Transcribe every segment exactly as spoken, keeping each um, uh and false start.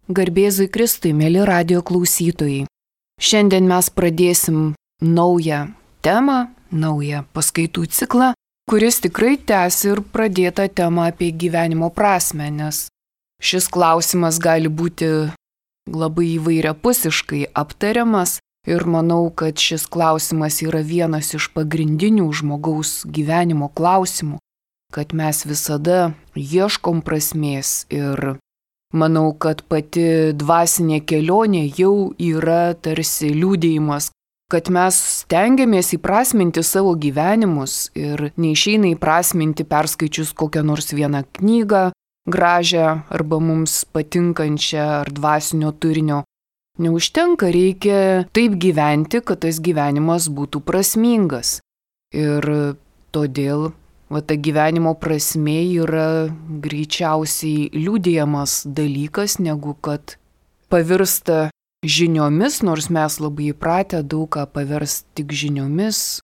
Garbėzui Kristui, mėly radijo klausytojai. Šiandien mes pradėsim naują temą, naują paskaitų ciklą, kuris tikrai tęs ir pradėtą temą apie gyvenimo prasmę, nes šis klausimas gali būti labai įvairiapusiškai aptariamas ir manau, kad šis klausimas yra vienas iš pagrindinių žmogaus gyvenimo klausimų, kad mes visada ieškom prasmės ir manau, kad pati dvasinė kelionė jau yra tarsi liudijimas, kad mes stengiamės įprasminti savo gyvenimus ir neišeina įprasminti perskaičius kokią nors vieną knygą, gražią arba mums patinkančią ar dvasinio turinio. Neužtenka, reikia taip gyventi, kad tas gyvenimas būtų prasmingas. Ir todėl va ta gyvenimo prasmė yra greičiausiai liudijamas dalykas, negu kad pavirsta žiniomis, nors mes labai įpratę daug ką paversti tik žiniomis,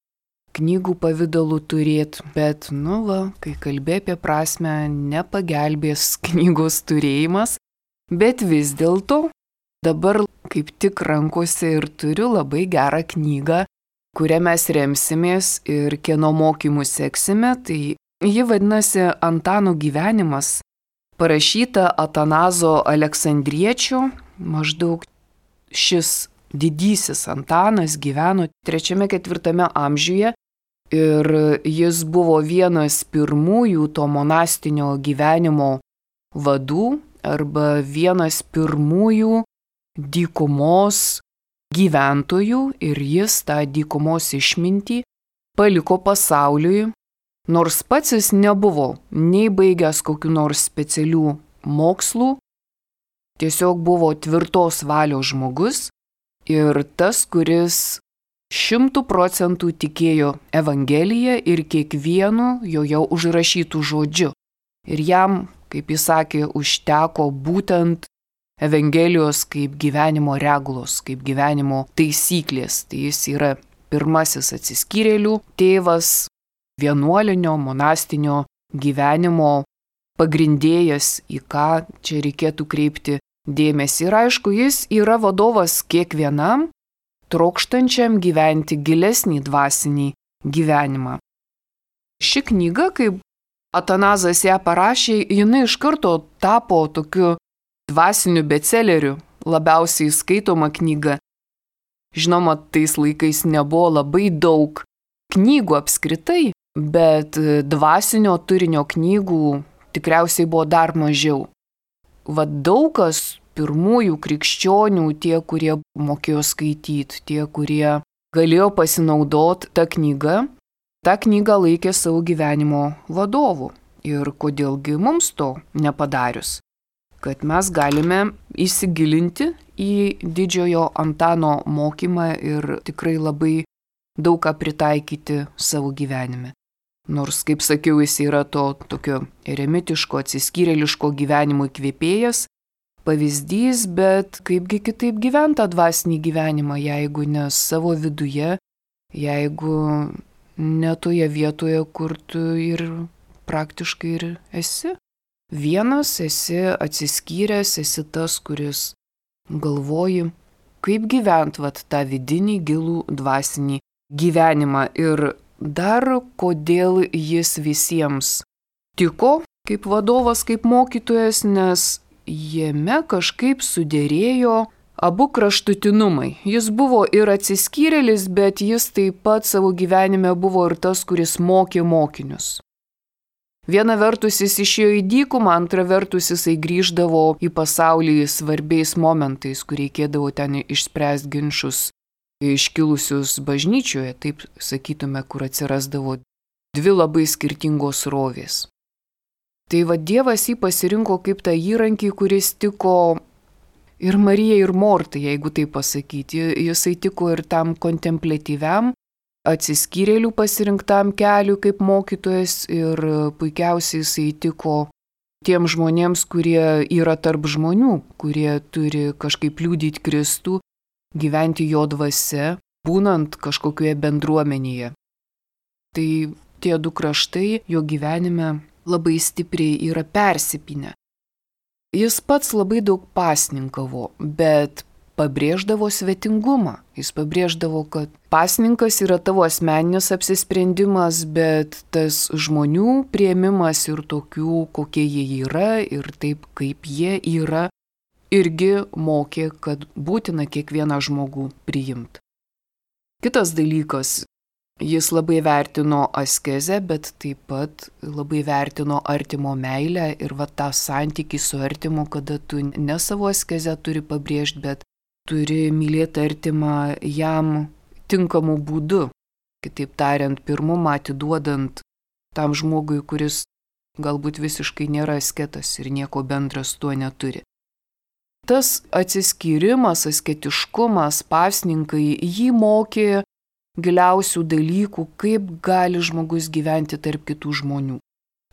knygų pavidalu turėti, bet, nu va, kai kalbė apie prasmę, nepagelbės knygos turėjimas, bet vis dėlto dabar kaip tik rankose ir turiu labai gerą knygą, kurią mes remsimės ir kieno mokymų seksime, tai ji vadinasi Antano gyvenimas, parašyta Atanazo Aleksandriečio, maždaug šis didysis Antanas gyveno trečiame ketvirtame amžiuje ir jis buvo vienas pirmųjų to monastinio gyvenimo vadų arba vienas pirmųjų dykumos gyventojų ir jis tą dykumos išmintį paliko pasauliui, nors pats jis nebuvo nei baigęs kokių nors specialių mokslų, tiesiog buvo tvirtos valios žmogus ir tas, kuris šimtų procentų tikėjo Evangeliją ir kiekvienu joje užrašytų žodžiu. Ir jam, kaip jis sakė, užteko būtent Evangelijos kaip gyvenimo regulos, kaip gyvenimo taisyklės. Tai jis yra pirmasis atsiskyrėlių tėvas, vienuolinio, monastinio gyvenimo pagrindėjas, į ką čia reikėtų kreipti dėmesį. Ir aišku, jis yra vadovas kiekvienam trokštančiam gyventi gilesnį dvasinį gyvenimą. Ši knyga, kaip Atanazas ją parašė, jinai iš karto tapo tokiu dvasiniu bestselleriu, labiausiai skaitoma knyga. Žinoma, tais laikais nebuvo labai daug knygų apskritai, bet dvasinio turinio knygų tikriausiai buvo dar mažiau. Vat daug kas pirmųjų krikščionių, tie, kurie mokėjo skaityti, tie, kurie galėjo pasinaudoti tą knygą, tą knygą laikė savo gyvenimo vadovu. Ir kodėlgi mums to nepadarius? Kad mes galime įsigilinti į didžiojo Antano mokymą ir tikrai labai daug ką pritaikyti savo gyvenime. Nors, kaip sakiau, jis yra to tokio eremitiško, atsiskyrėliško gyvenimo įkvėpėjas, pavyzdys, bet kaipgi kitaip gyventa dvasinį gyvenimą, jeigu ne savo viduje, jeigu ne toje vietoje, kur tu ir praktiškai ir esi. Vienas esi atsiskyręs, esi tas, kuris galvoji, kaip gyvent vat tą vidinį gilų dvasinį gyvenimą ir dar kodėl jis visiems tiko kaip vadovas, kaip mokytojas, nes jame kažkaip suderėjo abu kraštutinumai. Jis buvo ir atsiskyrėlis, bet jis taip pat savo gyvenime buvo ir tas, kuris mokė mokinius. Viena vertus jis išėjo į dykumą, antra vertus jisai grįždavo į pasaulį svarbiais momentais, kur reikėdavo ten išspręsti ginčus iškilusius bažnyčioje, taip sakytume, kur atsirasdavo dvi labai skirtingos srovės. Tai va Dievas jį pasirinko kaip tą įrankį, kuris tiko ir Marijai, ir Mortai, jeigu taip pasakyti. Jisai tiko ir tam kontempliatyviam, atsiskyrėlių pasirinktam keliu kaip mokytojas ir puikiausiai jisai tiko tiem žmonėms, kurie yra tarp žmonių, kurie turi kažkaip liudyti Kristų, gyventi jo dvasia, būnant kažkokioje bendruomenėje. Tai tie du kraštai jo gyvenime labai stipriai yra persipinę. Jis pats labai daug pasninkavo, bet pabrėždavo svetingumą. Jis pabrėždavo, kad pasninkas yra tavo asmeninis apsisprendimas, bet tas žmonių priėmimas ir tokių, kokie jie yra ir taip, kaip jie yra, irgi mokė, kad būtina kiekvieną žmogų priimti. Kitas dalykas, jis labai vertino askezę, bet taip pat labai vertino artimo meilę ir va tą santykį su artimu, kada tu ne savo askezę turi pabrėžti, bet turi mylėti artimą jam tinkamu būdu. Kitaip tariant, pirmumą atiduodant tam žmogui, kuris galbūt visiškai nėra asketas ir nieko bendra su tuo neturi. Tas atsiskyrimas, asketiškumas, pasninkai jį mokė giliausių dalykų, kaip gali žmogus gyventi tarp kitų žmonių.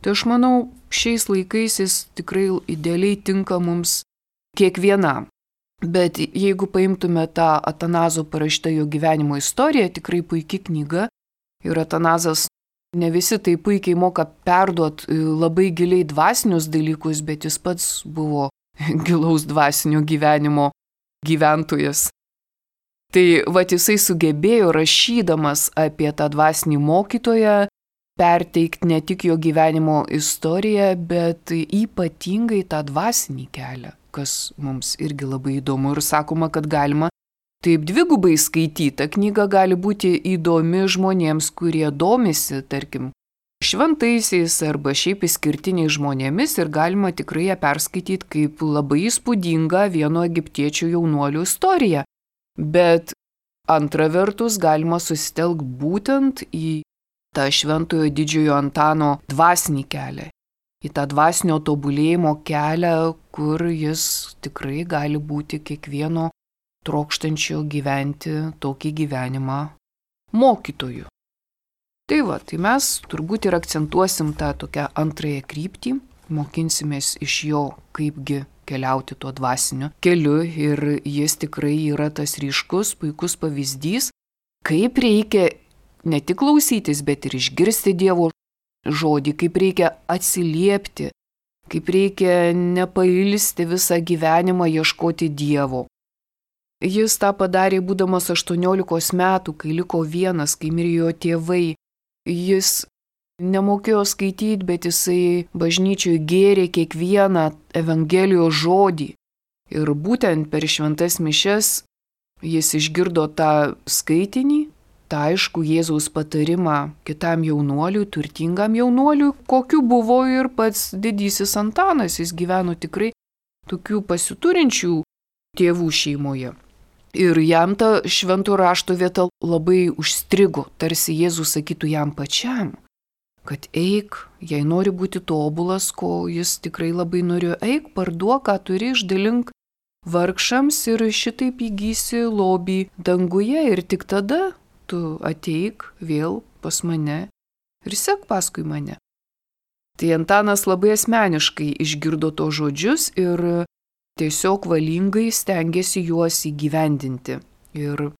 Tai aš manau, šiais laikais jis tikrai idealiai tinka mums kiekvienam. Bet jeigu paimtume tą Atanazo parašytą jo gyvenimo istoriją, tikrai puikia knyga. Ir Atanazas ne visi tai puikiai moka perduoti labai giliai dvasinius dalykus, bet jis pats buvo gilaus dvasinio gyvenimo gyventojas. Tai va jisai sugebėjo rašydamas apie tą dvasinį mokytoją perteikti ne tik jo gyvenimo istoriją, bet ypatingai tą dvasinį kelią, kas mums irgi labai įdomu ir sakoma, kad galima taip dvigubai skaityti. Ta knyga gali būti įdomi žmonėms, kurie domisi, tarkim, šventaisiais arba šiaip išskirtiniais žmonėmis ir galima tikrai ją perskaityti kaip labai įspūdingą vieno egiptiečių jaunuolių istoriją. Bet antra vertus galima susitelkti būtent į tą šventojo didžiojo Antano dvasinį kelią, į tą dvasinio tobulėjimo kelią, kur jis tikrai gali būti kiekvieno trokštančio gyventi tokį gyvenimą mokytoju. Tai va, tai mes turbūt ir akcentuosim tą tokią antrąją kryptį, mokinsimės iš jo, kaipgi keliauti tuo dvasiniu keliu ir jis tikrai yra tas ryškus, puikus pavyzdys, kaip reikia ne tik klausytis, bet ir išgirsti Dievo žodį, kaip reikia atsiliepti, kaip reikia nepailsti visą gyvenimą ieškoti Dievo. Jis tą padarė būdamas aštuoniolikos metų, kai liko vienas, kai mirė jo tėvai. Jis nemokėjo skaityti, bet jisai bažnyčioje gėrė kiekvieną Evangelijos žodį. Ir būtent per šventas mišias jis išgirdo tą skaitinį, tą aišku Jėzaus patarimą kitam jaunuoliui, turtingam jaunuoliui, kokiu buvo ir pats didysis Antanas. Jis gyveno tikrai tokių pasiturinčių tėvų šeimoje. Ir jam ta švento rašto vieta labai užstrigo, tarsi Jėzus sakytų jam pačiam, kad eik, jei nori būti tobulas, ko jis tikrai labai norėjo, eik, parduok, ką turi, išdalink vargšams ir šitaip įgysi lobį danguje ir tik tada tu ateik vėl pas mane ir sek paskui mane. Tai Antanas labai asmeniškai išgirdo to žodžius ir tiesiog valingai stengiasi juos įgyvendinti. Ir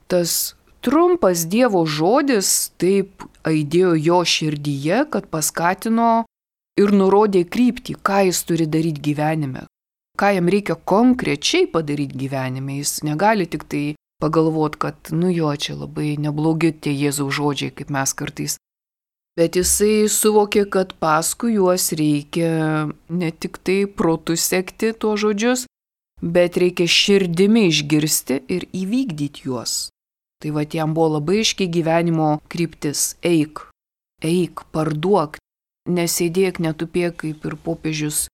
tas trumpas Dievo žodis taip aidėjo jo širdyje, kad paskatino ir nurodė kryptį, ką jis turi daryti gyvenime, ką jam reikia konkrečiai padaryti gyvenime. Jis negali tik tai pagalvoti, kad nu jo, čia labai neblogi tie Jėzaus žodžiai, kaip mes kartais. Bet jisai suvokė, kad paskui juos reikia ne tik tai protu sekti tuos žodžius, bet reikia širdimi išgirsti ir įvykdyti juos. Tai va, jam buvo labai aiški gyvenimo kryptis. Eik, eik, parduok, nesėdėk, netupėk, kaip ir popiežius.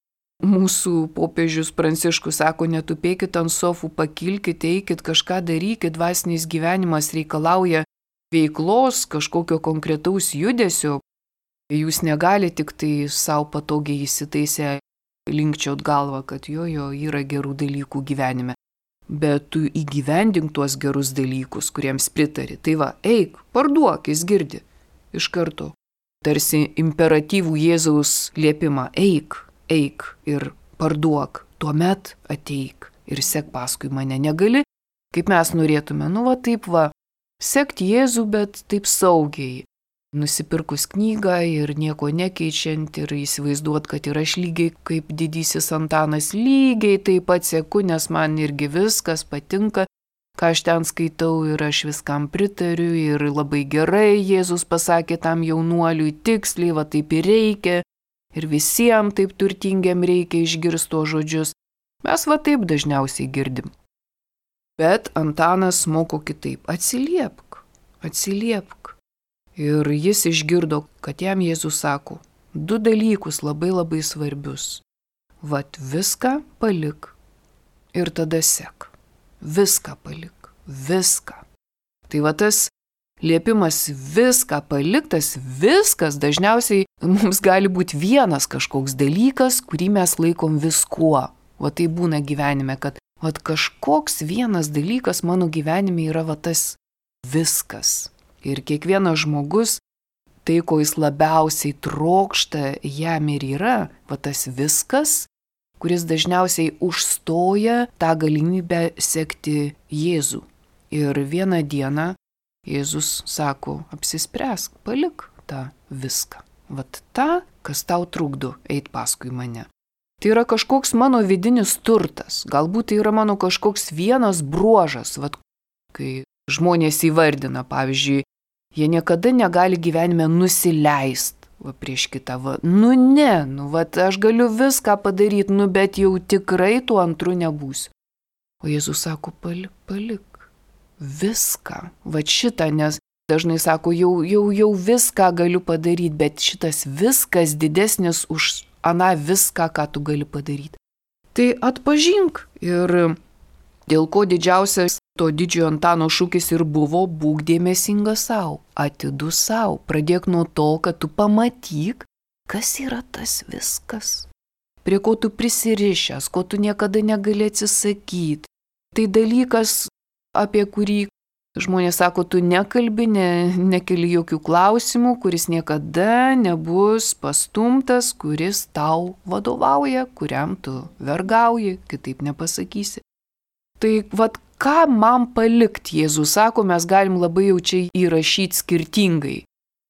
Mūsų popiežius Pranciškus sako, netupėkit ant sofų, pakilkit, eikit, kažką darykit, dvasinis gyvenimas reikalauja veiklos, kažkokio konkretaus judesio. Jūs negalite tik tai savo patogiai įsitaisę linkčiot galvą, kad jo, jo yra gerų dalykų gyvenime. Bet tu įgyvendink tuos gerus dalykus, kuriems pritari. Tai va, eik, parduok, jis girdi. Iš karto. Tarsi imperatyvų Jėzaus liepimą. Eik, eik ir parduok. Tuomet ateik ir sek paskui mane. Negali, kaip mes norėtume, nu va taip va, sekti Jėzų, bet taip saugiai. nusipirkus knygą ir nieko nekeičiant ir įsivaizduot, kad ir aš lygiai kaip didysis Antanas lygiai taip pat seku, nes man irgi viskas patinka, ką aš ten skaitau ir aš viskam pritariu ir labai gerai Jėzus pasakė tam jaunuoliui tiksliai, va taip ir reikia ir visiems taip turtingiam reikia išgirsti tuos žodžius. Mes va taip dažniausiai girdim. Bet Antanas moko kitaip. Atsiliepk, atsiliepk. Ir jis išgirdo, kad jam Jėzus sako du dalykus labai labai svarbius. Vat viską palik ir tada sek. Viską palik, viską. Tai va tas liepimas viską paliktas, viskas dažniausiai mums gali būti vienas kažkoks dalykas, kurį mes laikom viskuo. Va tai būna gyvenime, kad va kažkoks vienas dalykas mano gyvenime yra va tas viskas. Ir kiekvienas žmogus, tai ko jis labiausiai trokšta, jam ir yra va tas viskas, kuris dažniausiai užstoja tą galimybę sekti Jėzų. Ir vieną dieną Jėzus sako, apsispręsk, palik tą viską. Vat tą, kas tau trukdo eit paskui mane. Tai yra kažkoks mano vidinis turtas, galbūt tai yra mano kažkoks vienas bruožas, vat kai žmonės įvardina, pavyzdžiui, jie niekada negali gyvenime nusileist va, prieš kitą, va, nu ne, nu va, aš galiu viską padaryti, nu bet jau tikrai tuo antru nebūsiu. O Jėzus sako, palik, palik, viską, va šitą, nes dažnai sako, jau, jau, jau viską galiu padaryti, bet šitas viskas didesnis už aną viską, ką tu gali padaryti. Tai atpažink ir dėl ko didžiausias to didžiojo Antano šūkis ir buvo būk dėmesingas savo, atidus savo. Pradėk nuo to, kad tu pamatyk, kas yra tas viskas. Prie ko tu prisirišęs, ko tu niekada negali atsisakyti. Tai dalykas, apie kurį žmonės sako, tu nekalbi, ne, nekeli jokių klausimų, kuris niekada nebus pastumtas, kuris tau vadovauja, kuriam tu vergauji, kitaip nepasakysi. Tai vat ką man palikti, Jėzus sako, mes galim labai jau čia įrašyti skirtingai.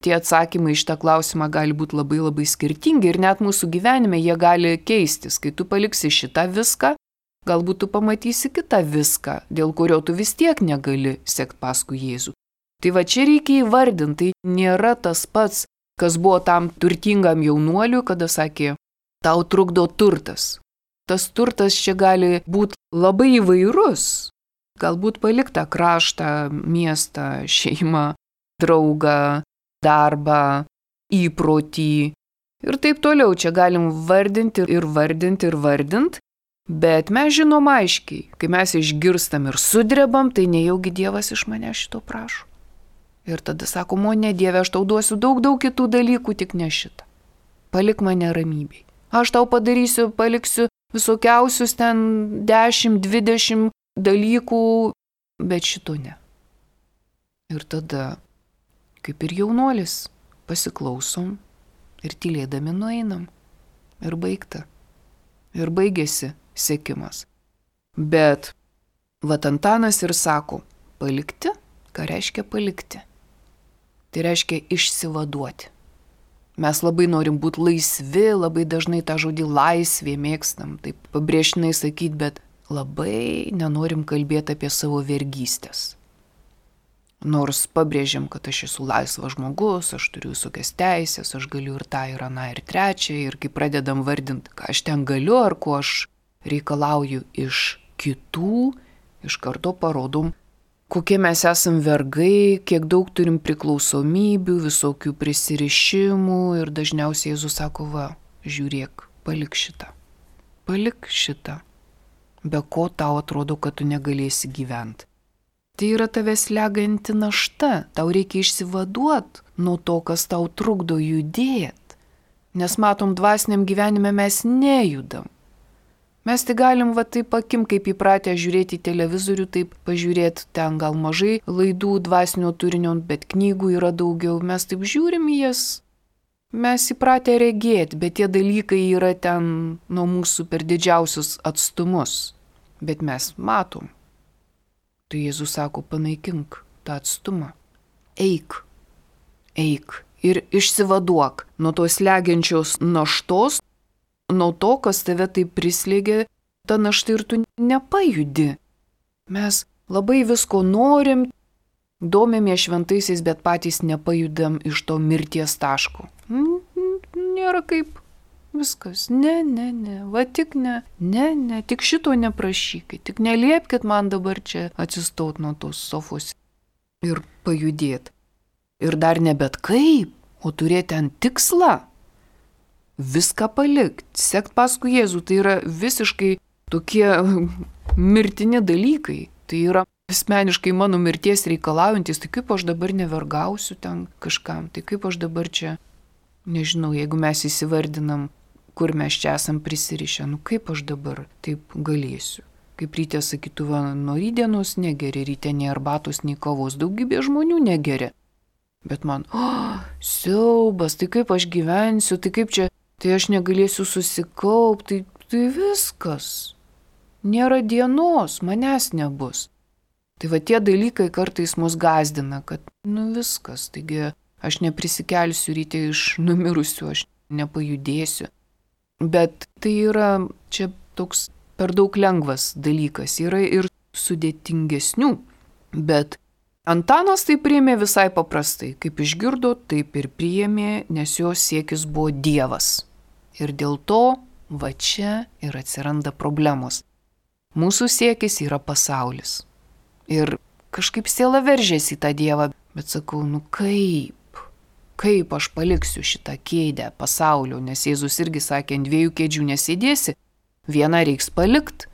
Tie atsakymai iš tą klausimą gali būti labai labai skirtingi ir net mūsų gyvenime jie gali keistis. Kai tu paliksi šitą viską, galbūt tu pamatysi kitą viską, dėl kurio tu vis tiek negali sekti paskui Jėzų. Tai va čia reikia įvardinti, tai nėra tas pats, kas buvo tam turtingam jaunuoliui, kada sakė, tau trukdo turtas. Tas turtas čia gali būti labai įvairus. Galbūt paliktą kraštą, miestą, šeimą, draugą, darbą, įprotį ir taip toliau. Čia galim vardinti ir vardinti ir vardinti. Bet mes žinom aiškiai, kai mes išgirstam ir sudrebam, tai nejaugi Dievas iš mane šito prašo. Ir tada sakom, o ne Dieve, aš tau duosiu daug, daug kitų dalykų, tik ne šitą. Palik mane ramybėj. Aš tau padarysiu, paliksiu visokiausius ten dešimt, dvidešimt dalykų, bet šito ne. Ir tada, kaip ir jaunuolis, pasiklausom ir tylėdami nueinam. Ir baigta. Ir baigėsi sekimas. Bet vat Antanas ir sako, palikti, ką reiškia palikti? Tai reiškia išsivaduoti. Mes labai norim būti laisvi, labai dažnai tą žodį laisvė mėgstam, taip pabrėžtinai sakyti, bet labai nenorim kalbėti apie savo vergystės. Nors pabrėžiam, kad aš esu laisvas žmogus, aš turiu visokias teisės, aš galiu ir tą, ir aną, ir trečią, ir kai pradedam vardinti, ką aš ten galiu, ar ko aš reikalauju iš kitų, iš karto parodom, kokie mes esam vergai, kiek daug turim priklausomybių, visokių prisirišimų ir dažniausiai Jėzus sako, va, žiūrėk, palik šitą, palik šitą, be ko tau atrodo, kad tu negalėsi gyventi. Tai yra tavęs leganti našta, tau reikia išsivaduoti nuo to, kas tau trukdo judėti, nes matom, dvasiniam gyvenime mes nejudam. Mes tai galim va taip akim, kaip įpratę žiūrėti televizorių, taip pažiūrėti ten gal mažai laidų dvasinio turinio, bet knygų yra daugiau, mes taip žiūrim į jas, mes įpratę regėti, bet tie dalykai yra ten nuo mūsų per didžiausius atstumus, bet mes matom. Tai Jėzus sako, panaikink tą atstumą, eik, eik ir išsivaduok nuo tos slegiančios naštos, nuo to, kas tave taip prislėgia, ta našta ir tu nepajudi. Mes labai visko norim, domėmės šventaisiais, bet patys nepajudam iš to mirties taško. Nėra kaip. Viskas, ne, ne, ne, va tik ne, ne, ne, tik šito neprašykit, tik neliepkit man dabar čia atsistot nuo tos sofos ir pajudėt. Ir dar ne bet kaip, o turėti ant tikslą. Viską palikti, sekt paskui Jėzų, tai yra visiškai tokie mirtini dalykai. Tai yra asmeniškai mano mirties reikalaujantis, tai kaip aš dabar nevergausiu ten kažkam, tai kaip aš dabar čia, nežinau, jeigu mes įsivardinam, kur mes čia esam prisirišę, nu kaip aš dabar taip galėsiu. Kaip ryte sakytų, va, nuo rydienos negeri, ryte nei arbatos, nei kavos, daugybė žmonių negeri. Bet man, oh, siaubas, tai kaip aš gyvensiu, tai kaip čia, tai aš negalėsiu susikaupti, tai, tai viskas. Nėra dienos, manęs nebus. Tai va tie dalykai kartais mus gazdina, kad nu viskas, taigi aš neprisikelsiu ryte iš numirusių, aš nepajudėsiu. Bet tai yra čia toks per daug lengvas dalykas, yra ir sudėtingesnių, bet Antanas tai priėmė visai paprastai, kaip išgirdo, taip ir priėmė, nes jo siekis buvo Dievas. Ir dėl to va čia ir atsiranda problemos. Mūsų siekis yra pasaulis. Ir kažkaip siela veržėsi į tą Dievą, bet sakau, nu kaip, kaip aš paliksiu šitą kėdę pasaulio, nes Jėzus irgi sakė, ant dviejų kėdžių nesėdėsi, vieną reiks palikt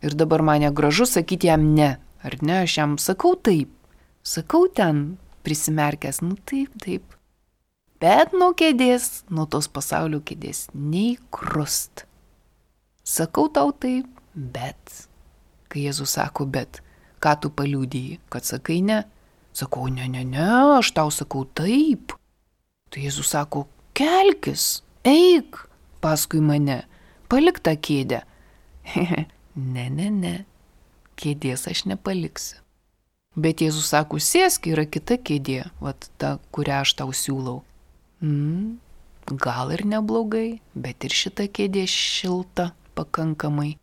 ir dabar mane gražu sakyti jam ne, ar ne, aš jam sakau taip. Sakau ten, prisimerkęs, nu taip, taip. Bet nuo kėdės, nuo tos pasaulio kėdės, nei krust. Sakau tau taip, bet. Kai Jėzus sako, bet, ką tu paliudiji, kad sakai ne? Sakau, ne, ne, ne, aš tau sakau taip. Tai Jėzus sako, kelkis, eik paskui mane, palik tą kėdę. ne, ne, ne, kėdės aš nepaliksiu. Bet Jėzus sako, sėsk, yra kita kėdė, vat ta, kurią aš tau siūlau. Mm, gal ir neblogai, bet ir šita kėdė šilta pakankamai.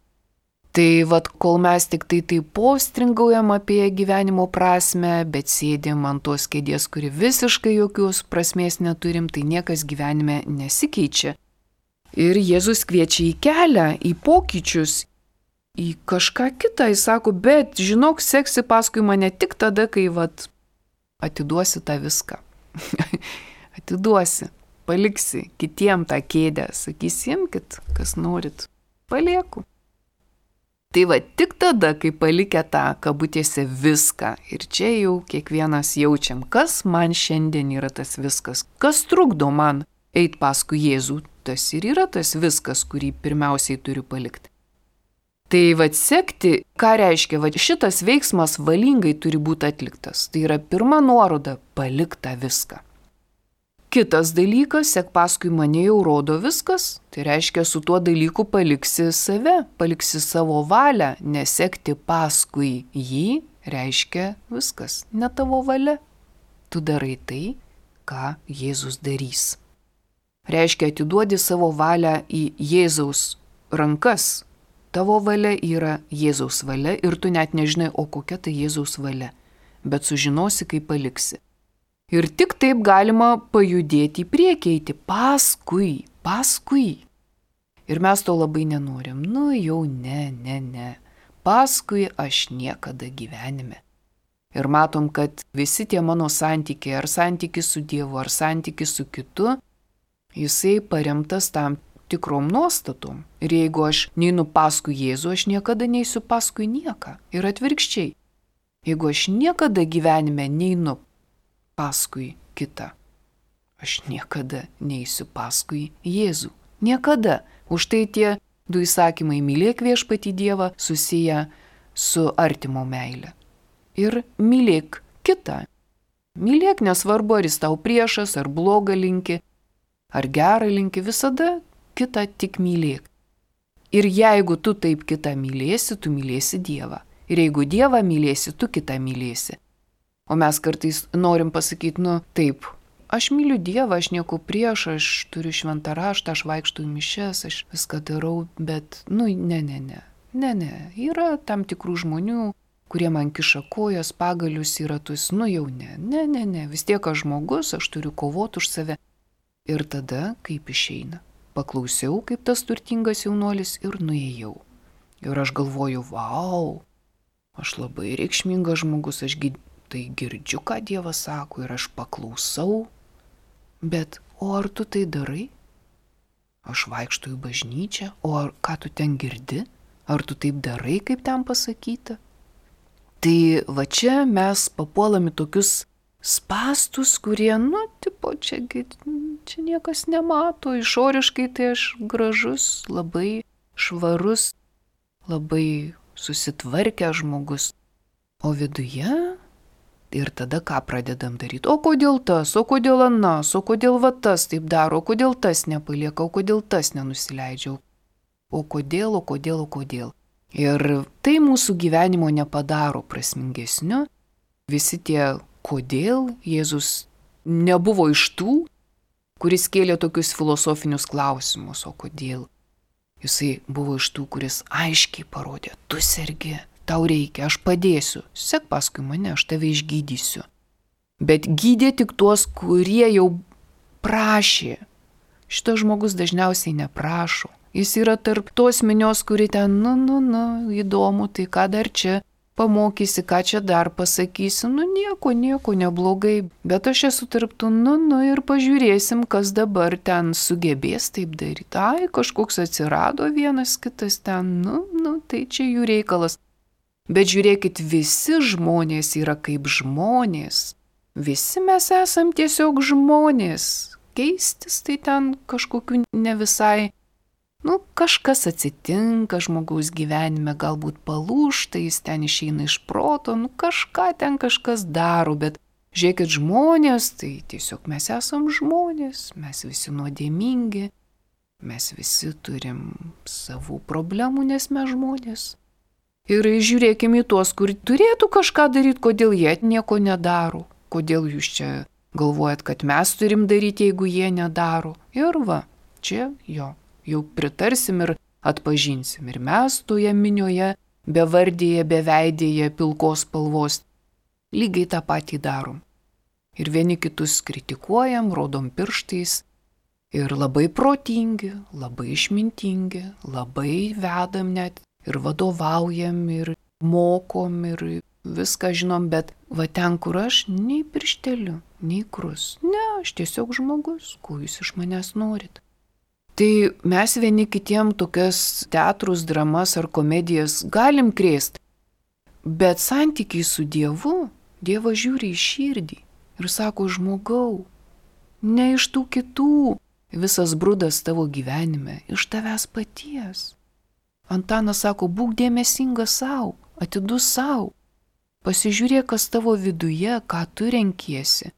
Tai vat kol mes tik tai taip postringaujam apie gyvenimo prasme, bet sėdim ant tos kėdės, kuri visiškai jokios prasmės neturim, tai niekas gyvenime nesikeičia. Ir Jėzus kviečia į kelią, į pokyčius, į kažką kitą, jis sako, bet žinok, seksi paskui mane tik tada, kai vat, atiduosi tą viską. Atiduosi, paliksi kitiem tą kėdę, sakysi, imkit, kas norit, palieku. Tai va, tik tada, kai palikę tą kabutėse viską, ir čia jau kiekvienas jaučiam, kas man šiandien yra tas viskas, kas trukdo man eit paskui Jėzų, tas ir yra tas viskas, kurį pirmiausiai turiu palikti. Tai vad sekti, ką reiškia, vad šitas veiksmas valingai turi būti atliktas. Tai yra pirma nuoroda – palik tą viską. Kitas dalykas, sek paskui mane jau rodo viskas, tai reiškia su tuo dalyku paliksi save, paliksi savo valią, nesekti paskui jį reiškia viskas, ne tavo valia. Tu darai tai, ką Jėzus darys. Reiškia atiduodi savo valią į Jėzaus rankas. Tavo valia yra Jėzaus valia ir tu net nežinai, o kokia tai Jėzaus valia, bet sužinosi, kai paliksi. Ir tik taip galima pajudėti į priekį, eiti paskui, paskui. Ir mes to labai nenorim, nu jau ne, ne, ne, paskui aš niekada gyvenime. Ir matom, kad visi tie mano santykiai, ar santykis su Dievu, ar santykis su kitu, jisai paremtas tam tikrom nuostatom. Ir jeigu aš neinu paskui Jėzų, aš niekada neisiu paskui nieką. Ir atvirkščiai. Jeigu aš niekada gyvenime neinu paskui kitą, aš niekada neisiu paskui Jėzų. Niekada. Už tai tie du įsakymai mylėk viešpatį Dievą susiję su artimo meile. Ir mylėk kitą. Mylėk nesvarbu, ar jis tau priešas, ar blogą linki, ar gerą linki, visada kitą tik mylėk. Ir jeigu tu taip kitą mylėsi, tu mylėsi Dievą. Ir jeigu Dievą mylėsi, tu kitą mylėsi. O mes kartais norim pasakyti, nu taip, aš myliu Dievą, aš nieko prieš, aš turiu šventą raštą, aš vaikštau į mišias, aš viską darau, bet, nu, ne, ne, ne, ne, ne, yra tam tikrų žmonių, kurie man kiša kojas, pagalius yra tuos, nu jau ne, ne, ne, ne, vis tiek aš žmogus, aš turiu kovoti už save. Ir tada, kaip išeina, paklausiau, kaip tas turtingas jaunuolis ir nuėjau. Ir aš galvoju, vau, aš labai reikšmingas žmogus, aš tai girdžiu, ką Dievas sako ir aš paklausau, bet o ar tu tai darai? Aš vaikštau į bažnyčią, o ar, ką tu ten girdi? Ar tu taip darai, kaip ten pasakyta? Tai va čia mes papuolame tokius spastus, kurie, nu, tipo, čia, čia niekas nemato, išoriškai tai aš gražus, labai švarus, labai susitvarkęs žmogus, o viduje ir tada ką pradedam daryti? O kodėl tas, o kodėl anas, o kodėl va tas taip daro, o kodėl tas nepalieka, o kodėl tas nenusileidžia, o kodėl, o kodėl, o kodėl. Ir tai mūsų gyvenimo nepadaro prasmingesniu. Visi tie kodėl Jėzus nebuvo iš tų, kuris kėlė tokius filosofinius klausimus, o kodėl. Jisai buvo iš tų, kuris aiškiai parodė, tu sergi, tau reikia, aš padėsiu, sek paskui mane, aš tave išgydysiu. Bet gydė tik tuos, kurie jau prašė. Šitas žmogus dažniausiai neprašo. Jis yra tarp tos minios, kuri ten, nu, nu, nu, įdomu, tai ką dar čia pamokysi, ką čia dar pasakysi, nu nieko, nieko neblogai, bet aš esu tarp tų, nu, nu ir pažiūrėsim, kas dabar ten sugebės taip daryti. Ai, kažkoks atsirado vienas kitas ten, nu, nu, tai čia jų reikalas. Bet žiūrėkit, visi žmonės yra kaip žmonės. Visi mes esam tiesiog žmonės. Keistis tai ten kažkokiu ne visai. Nu, kažkas atsitinka žmogaus gyvenime, galbūt palūžta, jis ten išeina iš proto, nu kažką ten kažkas daro, bet žiūrėkit, žmonės, tai tiesiog mes esam žmonės, mes visi nuodėmingi, mes visi turim savų problemų, nes mes žmonės. Ir žiūrėkime į tuos, kur turėtų kažką daryti, kodėl jie nieko nedaro, kodėl jūs čia galvojat, kad mes turim daryti, jeigu jie nedaro. Ir va, čia jo. Jau pritarsim ir atpažinsim. Ir mes toje minioje, bevardėje, beveidėje, pilkos spalvos, lygiai tą patį darom. Ir vieni kitus kritikuojam, rodom pirštais. Ir labai protingi, labai išmintingi, labai vedam net ir vadovaujam, ir mokom, ir viską žinom, bet va ten, kur aš, nei piršteliu, nei krus. Ne, aš tiesiog žmogus, ko jūs iš manęs norit. Tai mes vieni kitiem tokias teatrus, dramas ar komedijas galim krėsti, bet santykiai su Dievu, Dievas žiūri į širdį ir sako, žmogau, ne iš tų kitų, visas brudas tavo gyvenime, iš tavęs paties. Antanas sako, būk dėmesingas savo, atidus savo, pasižiūrėk, kas tavo viduje, ką tu renkiesi,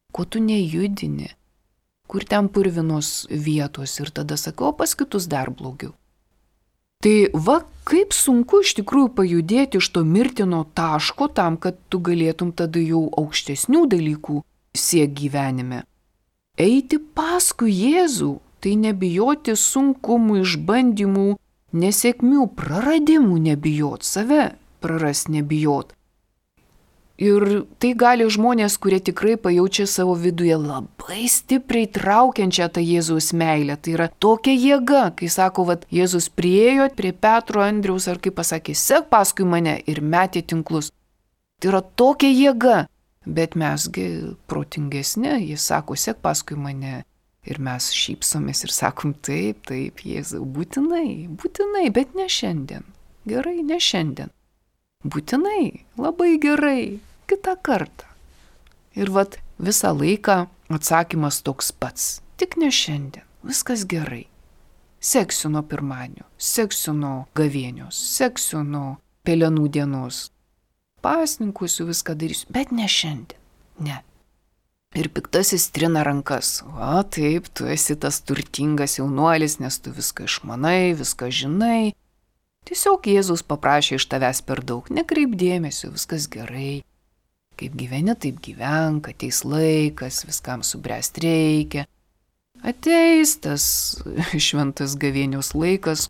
ko tu nejudini. Kur ten purvinos vietos ir tada sakau, o pas kitus dar blogiau. Tai va, kaip sunku iš tikrųjų pajudėti iš to mirtino taško tam, kad tu galėtum tada jau aukštesnių dalykų siek gyvenime. Eiti paskui Jėzų, tai nebijoti sunkumų, išbandymų, nesėkmių, praradimų nebijot, save praras nebijot. Ir tai gali žmonės, kurie tikrai pajaučia savo viduje labai stipriai traukiančią tą Jėzaus meilę. Tai yra tokia jėga, kai sako, vat, Jėzus priėjo prie Petro, Andriaus, ar kaip pasakė, sek paskui mane ir metė tinklus. Tai yra tokia jėga, bet mesgi protingesni, jis sako, sek paskui mane. Ir mes šypsomės ir sakom, taip, taip, Jėzau, būtinai, būtinai, bet ne šiandien. Gerai, ne šiandien. Būtinai, labai gerai, kitą kartą. Ir vat visą laiką atsakymas toks pats, tik ne šiandien, viskas gerai. Seksiu nuo pirmadienio, seksiu nuo gavėnios, seksiu nuo pelenų dienos. Pasninkusiu viską darysiu, bet ne šiandien, ne. Ir piktasis trina rankas, o taip, tu esi tas turtingas jaunuolis, nes tu viską išmanai, viską žinai. Tiesiog Jėzus paprašė iš tavęs per daug, nekreip dėmesio, viskas gerai. Kaip gyveni, taip gyvenk, ateis laikas, viskam subręst reikia. Ateis tas šventas gavėnios laikas,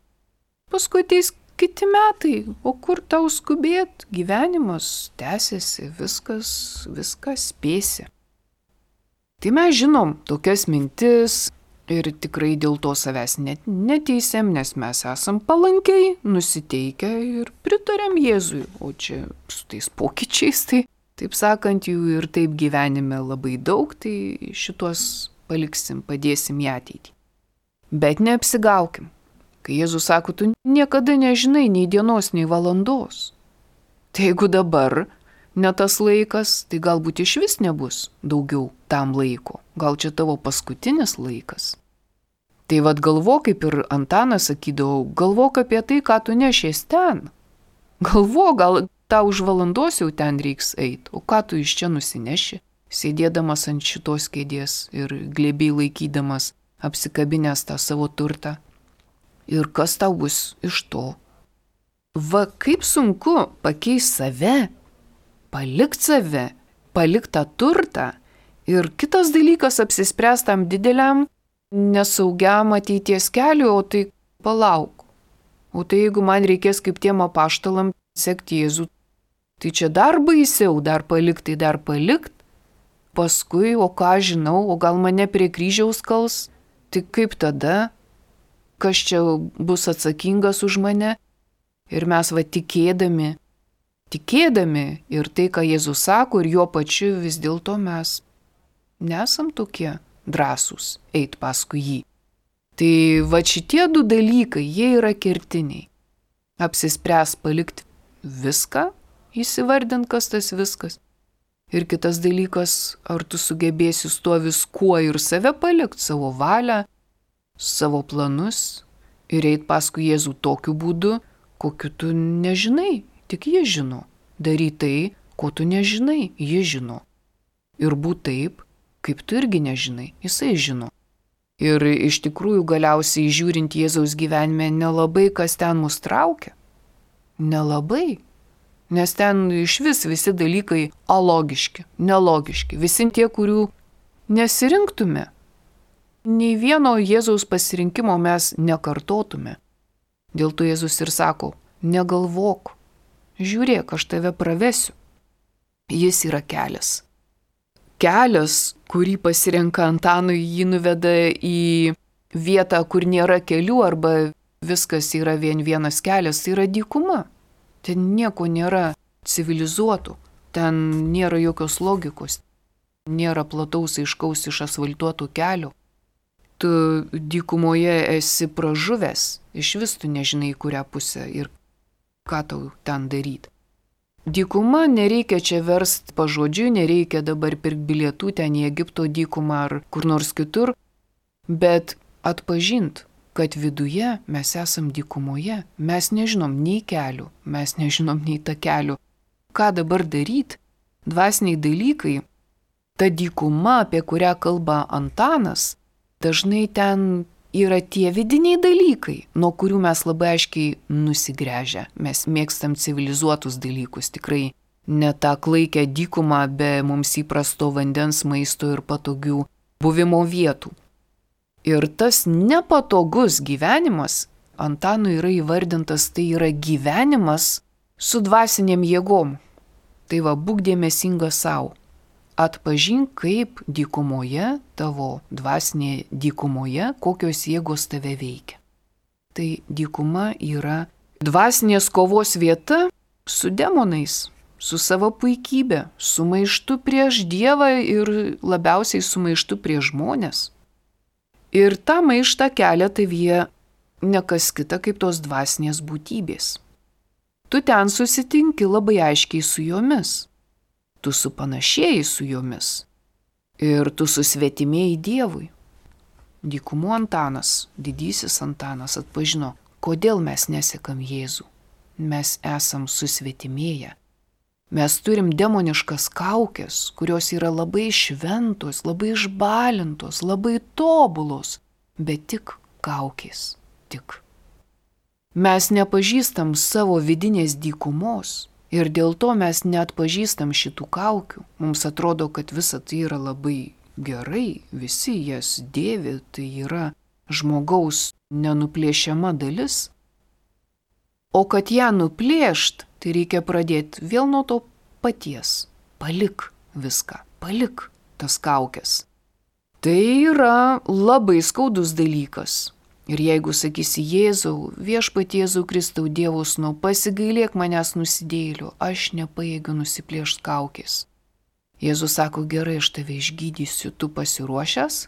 paskui ateis kiti metai, o kur tau skubėt, gyvenimas tęsiasi, viskas, viskas spėsi. Tai mes žinom tokias mintis ir tikrai dėl to savęs net neteisėm, nes mes esam palankiai nusiteikę ir pritarėm Jėzui, o čia su tais pokyčiais, tai taip sakant, jų ir taip gyvenime labai daug, tai šitos paliksim, padėsim į ateitį. Bet neapsigaukim. Kai Jėzus sako, tu niekada nežinai nei dienos, nei valandos. Tai jeigu dabar ne tas laikas, tai galbūt iš vis nebus daugiau tam laiko. Gal čia tavo paskutinis laikas. Tai vad galvok, kaip ir Antanas sakydavo, galvok apie tai, ką tu nešies ten. Galvok, gal tau už valandos jau ten reiks eiti, o ką tu iš čia nusineši, sėdėdamas ant šitos kėdės ir glėbiai laikydamas, apsikabinęs tą savo turtą. Ir kas tau bus iš to? Va, kaip sunku pakeisti save, palikt save, palikt tą turtą ir kitas dalykas apsispręst tam dideliam, nesaugiam ateities keliu, o tai palauk. O tai jeigu man reikės kaip tiem apaštalam sekti Jėzų, tai čia dar baisiau, dar palikt, tai dar palikt. Paskui, o ką žinau, o gal mane prie kryžiaus kals, tai kaip tada? Kas čia bus atsakingas už mane? Ir mes va tikėdami, tikėdami ir tai, ką Jėzus sako, ir jo pačiu vis dėlto mes nesam tokie drąsūs eit paskui jį. Tai va šitie du dalykai, jie yra kertiniai. Apsispręs palikti viską, įsivardint, kas tas viskas. Ir kitas dalykas, ar tu sugebėsi su tuo viskuo ir save palikti, savo valią, savo planus ir eit paskui Jėzų tokiu būdu, kokiu tu nežinai, tik jie žino. Daryt tai, ko tu nežinai, jie žino. Ir būt taip, kaip tu irgi nežinai, jisai žino. Ir iš tikrųjų galiausiai žiūrint Jėzaus gyvenime nelabai kas ten mus traukia. Nelabai. Nes ten iš vis visi dalykai alogiški, nelogiški. Visi tie, kurių nesirinktume. Nei vieno Jėzaus pasirinkimo mes nekartotume. Dėl to Jėzus ir sako, negalvok, žiūrėk, aš tave pravesiu. Jis yra kelias. Kelias, kurį pasirenka Antanui, jį nuveda į vietą, kur nėra kelių arba viskas yra vien vienas kelias, tai yra dykuma. Ten nieko nėra civilizuotų, ten nėra jokios logikos, nėra plataus aiškaus išasfaltuotų kelių. Tu dykumoje esi pražuvęs, iš vis tu nežinai, kurią pusę ir ką tau ten daryti. Dykuma nereikia čia verst pažodžiui, nereikia dabar pirkti bilietų ten į Egipto dykumą ar kur nors kitur, bet atpažint, kad viduje mes esam dykumoje, mes nežinom nei kelių, mes nežinom nei takelių. Ką dabar daryti? Dvasiniai dalykai, ta dykuma, apie kurią kalba Antanas, dažnai ten yra tie vidiniai dalykai, nuo kurių mes labai aiškiai nusigręžę. Mes mėgstam civilizuotus dalykus, tikrai ne tą klaikę dykumą be mums įprasto vandens, maisto ir patogių buvimo vietų. Ir tas nepatogus gyvenimas, Antanui yra įvardintas, tai yra gyvenimas su dvasiniam jėgom. Tai va, būk dėmesingas savo. Atpažink, kaip dykumoje, tavo dvasinėje dykumoje, kokios jėgos tave veikia. Tai dykuma yra dvasinės kovos vieta su demonais, su savo puikybė, su maištu prieš Dievą ir labiausiai su maištu prieš žmonės. Ir tą maištą kelia tavyje ne kas kita kaip tos dvasinės būtybės. Tu ten susitinki labai aiškiai su jomis. Tu supanašėjai su jomis ir tu susvetimėjai Dievui. Dykumų Antanas, didysis Antanas atpažino, kodėl mes nesekam Jėzų. Mes esam susvetimėję. Mes turim demoniškas kaukės, kurios yra labai šventos, labai išbalintos, labai tobulos, bet tik kaukės, tik. Mes nepažįstam savo vidinės dykumos. Ir dėl to mes neatpažįstam šitų kaukių. Mums atrodo, kad visa tai yra labai gerai, visi jas dėvi, tai yra žmogaus nenuplėšiama dalis. O kad ją nuplėšt, tai reikia pradėti vėl nuo to paties. Palik viską, palik tas kaukes. Tai yra labai skaudus dalykas. Ir jeigu sakysi Jėzau, viešpatie Jėzau Kristau Dievo sūnau, pasigailėk manęs nusidėjėlių, aš nepajėgiu nusiplėšti kaukės. Jėzus sako, gerai, aš tave išgydysiu, tu pasiruošęs?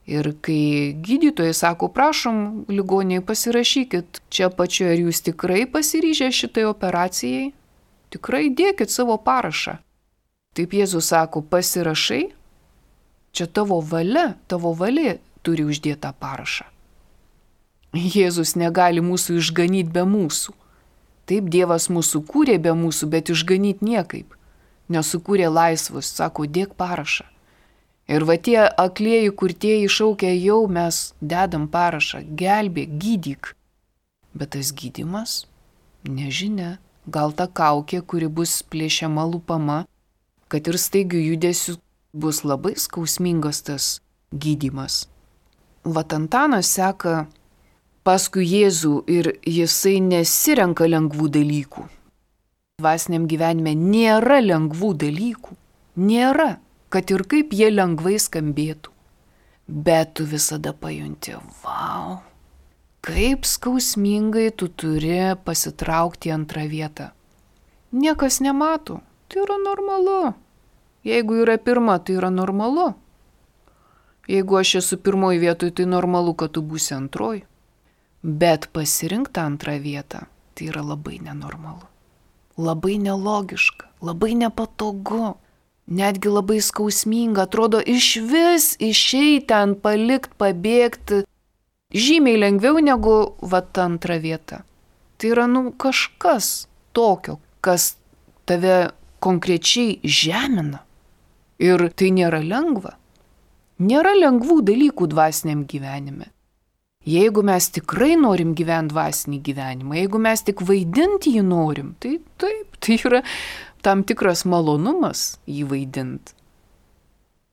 Ir kai gydytojai sako, prašom, ligoniai pasirašykit čia pačioje, ar jūs tikrai pasiryžę šitai operacijai? Tikrai dėkit savo parašą. Taip Jėzus sako, pasirašai? Čia tavo valia, tavo valia turi uždėtą parašą. Jėzus negali mūsų išganyti be mūsų. Taip, Dievas mūsų kūrė be mūsų, bet išganyti niekaip. Nesukūrė laisvus, sako, dėk parašą. Ir va tie aklieji, kurtieji šaukia, jau mes dedam parašą, gelbėk, gydyk. Bet tas gydymas, nežinia, gal ta kaukė, kuri bus plėšiama lupama, kad ir staigių judesių bus labai skausmingas tas gydymas. Vat Antanas seka paskui Jėzų ir jisai nesirenka lengvų dalykų. Dvasiniam gyvenime nėra lengvų dalykų. Nėra, kad ir kaip jie lengvai skambėtų. Bet tu visada pajunti, vau, kaip skausmingai tu turi pasitraukti į antrą vietą. Niekas nemato, tai yra normalu. Jeigu yra pirma, tai yra normalu. Jeigu aš esu pirmoji vietoj, tai normalu, kad tu būsi antroji. Bet pasirinkti antrą vietą, tai yra labai nenormalu. Labai nelogiška, labai nepatogu, netgi labai skausminga, atrodo iš vis išeiti ten, palikti, pabėgti, žymiai lengviau negu vat antrą vietą. Tai yra nu kažkas tokio, kas tave konkrečiai žemina. Ir tai nėra lengva. Nėra lengvų dalykų dvasiniam gyvenime. Jeigu mes tikrai norim gyventi dvasinį gyvenimą, jeigu mes tik vaidinti jį norim, tai taip, tai yra tam tikras malonumas jį vaidinti.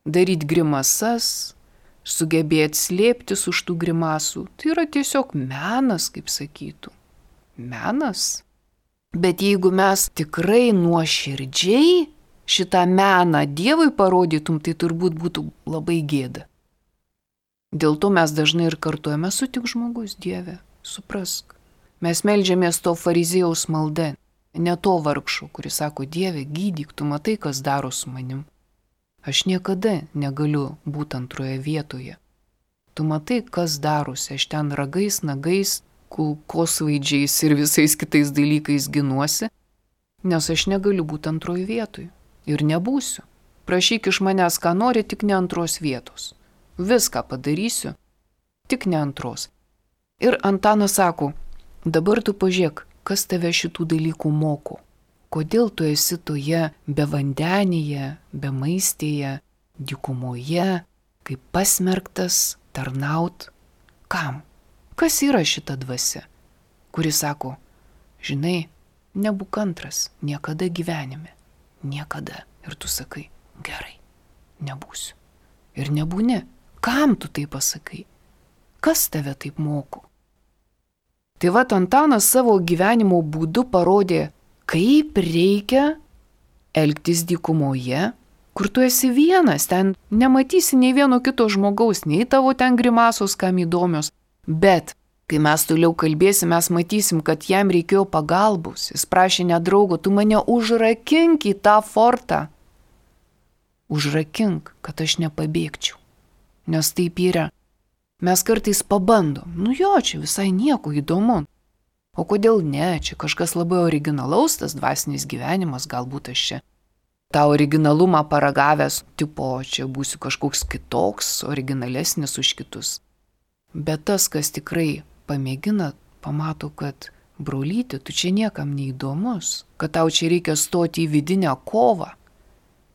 Daryti grimasas, sugebėti slėptis už tų grimasų, tai yra tiesiog menas, kaip sakytų. Menas. Bet jeigu mes tikrai nuoširdžiai šitą meną Dievui parodytum, tai turbūt būtų labai gėda. Dėl to mes dažnai ir kartuojame, sutik žmogus, Dieve, suprask. Mes meldžiamės to fariziejaus malda, ne to vargšo, kuris sako, Dieve, gydyk, tu matai, kas daro su manim. Aš niekada negaliu būti antroje vietoje. Tu matai, kas darosi, aš ten ragais, nagais, kulkosvaidžiais ir visais kitais dalykais ginuosi, nes aš negaliu būti antroje vietoje. Ir nebūsiu. Prašyk iš manęs, ką nori, tik ne antros vietos. Viską padarysiu, tik ne antros. Ir Antanas sako, dabar tu pažiūrėk, kas tave šitų dalykų moko. Kodėl tu esi toje bevandenėje, bemaistėje, dykumoje, kaip pasmerktas tarnaut. Kam? Kas yra šita dvasia, kuri sako, žinai, nebūk antras, niekada gyvenime. Niekada. Ir tu sakai, gerai, nebūsiu. Ir nebūni. Kam tu tai pasakai? Kas tave taip moko? Tai vat Antanas savo gyvenimo būdu parodė, kaip reikia elgtis dykumoje, kur tu esi vienas, ten nematysi nei vieno kito žmogaus, nei tavo ten grimasos, kam įdomios. Bet kai mes toliau kalbėsim, mes matysim, kad jam reikėjo pagalbos. Jis prašė ne draugo, tu mane užrakink į tą fortą. Užrakink, kad aš nepabėgčiau. Nes taip yra. Mes kartais pabandom. Nu jo, čia visai nieko įdomu. O kodėl ne? Čia kažkas labai originalaus, tas dvasinis gyvenimas, galbūt aš čia tą originalumą paragavęs, tipo, čia būsiu kažkoks kitoks, originalesnis už kitus. Bet tas, kas tikrai pamėgina, pamato, kad brolyti, tu čia niekam neįdomus, kad tau čia reikia stoti į vidinę kovą.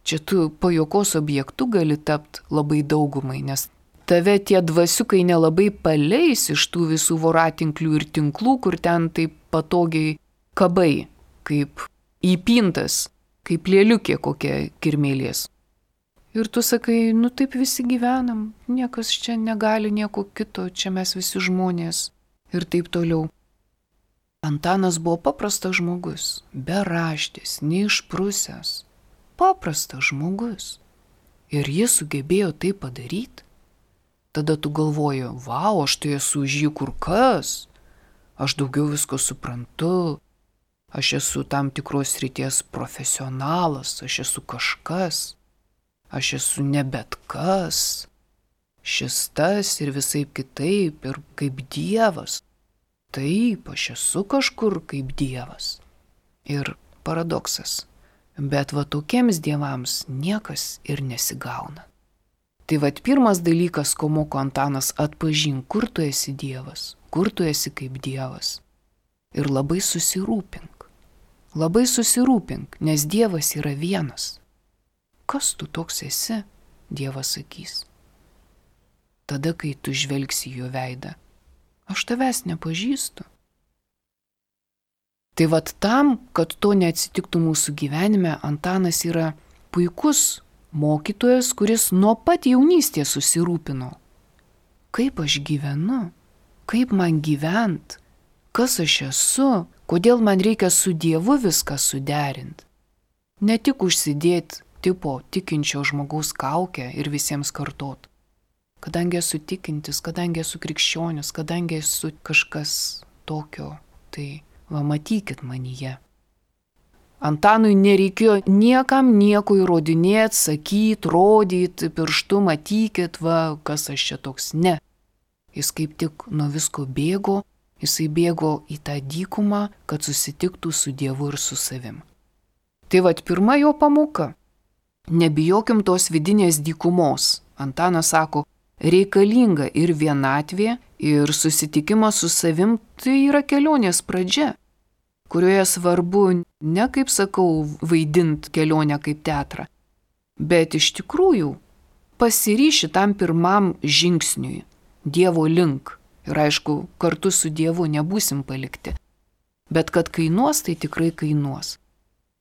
Čia tu pajuokos objektu gali tapti labai daugumai, nes tave tie dvasiukai nelabai paleis iš tų visų voratinklių ir tinklų, kur ten taip patogiai kabai, kaip įpintas, kaip lėliukė kokia kirmėlės. Ir tu sakai, nu taip visi gyvenam, niekas čia negali nieko kito, čia mes visi žmonės ir taip toliau. Antanas buvo paprastas žmogus, beraštis, neišprusęs, paprastas žmogus. Ir jis sugebėjo tai padaryti. Tada tu galvoji, vau, aš tai esu už jį kur kas, aš daugiau visko suprantu, aš esu tam tikros srities profesionalas, aš esu kažkas, aš esu ne bet kas, šis tas ir visaip kitaip ir kaip Dievas. Taip, aš esu kažkur kaip Dievas. Ir paradoksas, bet va tokiems dievams niekas ir nesigauna. Tai vat pirmas dalykas, ko moko Antanas, atpažink, kur tu esi Dievas, kur tu esi kaip Dievas. Ir labai susirūpink, labai susirūpink, nes Dievas yra vienas. Kas tu toks esi, Dievas sakys. Tada, kai tu žvelgsi jo veidą, aš tavęs nepažįstu. Tai vat tam, kad to neatsitiktų mūsų gyvenime, Antanas yra puikus mokytojas, kuris nuo pat jaunystės susirūpino. Kaip aš gyvenu? Kaip man gyvent? Kas aš esu? Kodėl man reikia su Dievu viską suderinti? Ne tik užsidėti tipo tikinčio žmogaus kaukę ir visiems kartot. Kadangi esu tikintis, kadangi esu krikščionis, kadangi esu kažkas tokio, tai va matykit manyje. Antanui nereikėjo niekam nieko įrodinėti, sakyti, rodyti, pirštu matykit, va, kas aš čia toks. Ne. Jis kaip tik nuo visko bėgo, jisai bėgo į tą dykumą, kad susitiktų su Dievu ir su savim. Tai vat pirma jo pamoka. Nebijokim tos vidinės dykumos. Antanas sako, reikalinga ir vienatvė, ir susitikimas su savim, tai yra kelionės pradžia, kurioje svarbu ne, kaip sakau, vaidint kelionę kaip teatrą, bet iš tikrųjų pasiryši tam pirmam žingsniui, Dievo link. Ir aišku, kartu su Dievu nebūsim palikti, bet kad kainuos, tai tikrai kainuos.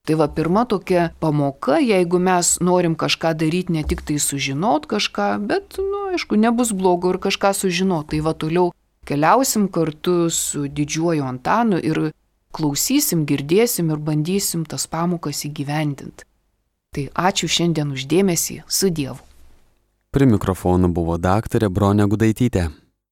Tai va pirma tokia pamoka, jeigu mes norim kažką daryti, ne tik tai sužinot kažką, bet, nu, aišku, nebus blogo ir kažką sužinot. Tai va toliau keliausim kartu su didžiuoju Antanu ir klausysim, girdėsim ir bandysim tas pamokas įgyvendinti. Tai ačiū šiandien už dėmesį, su Dievu. Prie mikrofono buvo daktarė Bronė Gudaitytė.